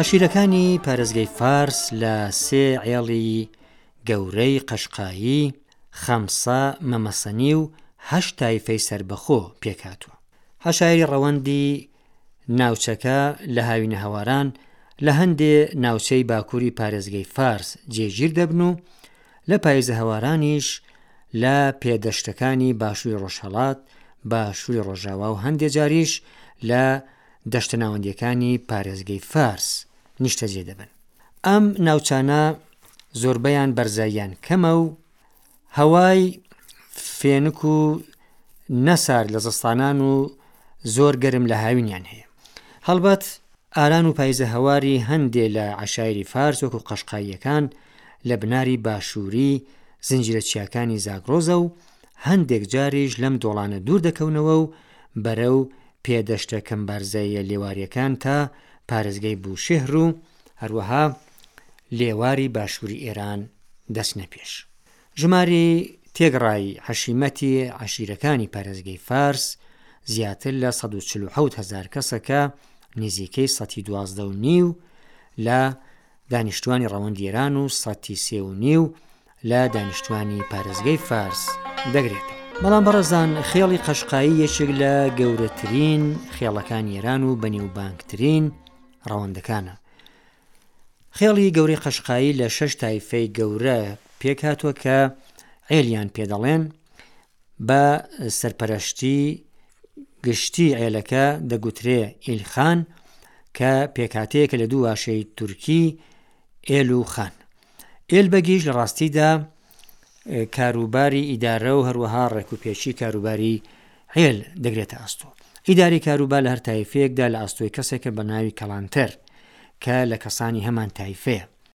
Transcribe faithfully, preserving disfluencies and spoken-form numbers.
عەشیرەکانی پارێزگەی فارس لە سێ عێڵی گەورەی قەشقایی، خەمسە، مەمەسەنی و هەشت تایفەی سەربەخۆ پێکهاتووە. عەشایری ڕەوەندی ناوچەکە لە هاوینەهەواران لە هەندێ ناوچەی باکووری پارێزگەی فارس جێگیر دەبن و لە پاییزەهەوارانیش لە پێدەشتەکانی باشووری ڕۆژهەڵات، باشووری ڕۆژاوا و هەندێ جاریش لە دەشتە ناوەندییەکانی پارێزگەی فارس نیشتەجێ دەبن. ئەم ناوچانە زۆربەیان بەرزاییان کەمە و هەوای فێنک و نەسارد لە زستانان و زۆر گەرم لە هاوینیان هەیە. هەڵبەت ئاران و پایزە هەواری هەندێ لە عەشایری فارس وەکو قەشقاییەکان لە بناری باشووری زنجیرە چیاکانی زاگرۆزە و هەندێک جاریش لەم دۆڵانە دوور دەکەونەوە و بەرەو پێدەشتە کەمبارزاییە لێواریەکان تا پارێزگەی بوشێهر و هەروەها لێواری باشووری ئێران دەچنە پێش. ژمارەی تێکڕای حەشیمەتی عەشیرەکانی پارێزگەی فارس زیاتر لە سەد و چل و حەوت هەزار کەسە کە نزیکەی سەتی دوازدە و نیو لە دانیشتوانی ڕەوەندی ئێران و سەتی سێ و نیو لە دانیشتوانی پارێزگەی فارس دەگرێتەوە. بەڵام بەڕێزان خێڵی قەشقایی یەکێک لە گەورەترین خێڵەکانی ئێران و بەنێوبانگترین ڕەوەندەکانە. خێڵی گەورەی قەشقایی لە شەش تایفەی گەورە پێک هاتووە کە عێلیان پێدەڵێن، بە سەرپەرشتی گشتی عێلەکە دەگوترێ ئیلخان کە پێکهاتەیەکە لە دوو واشەی تورکی ئێل و خان. ئێل بەگیش لە ڕاستیدا کاروباری ئیدارە و هەروەها ڕێکوپێکی کاروباری عێل دەگرێتە ئەستۆ. ئیداری کاروبار لە هەر تایفەیەکدا لە ئەستۆی کەسێکە بە ناوی کەڵانتەر کە لە کەسانی هەمان تایفەیە.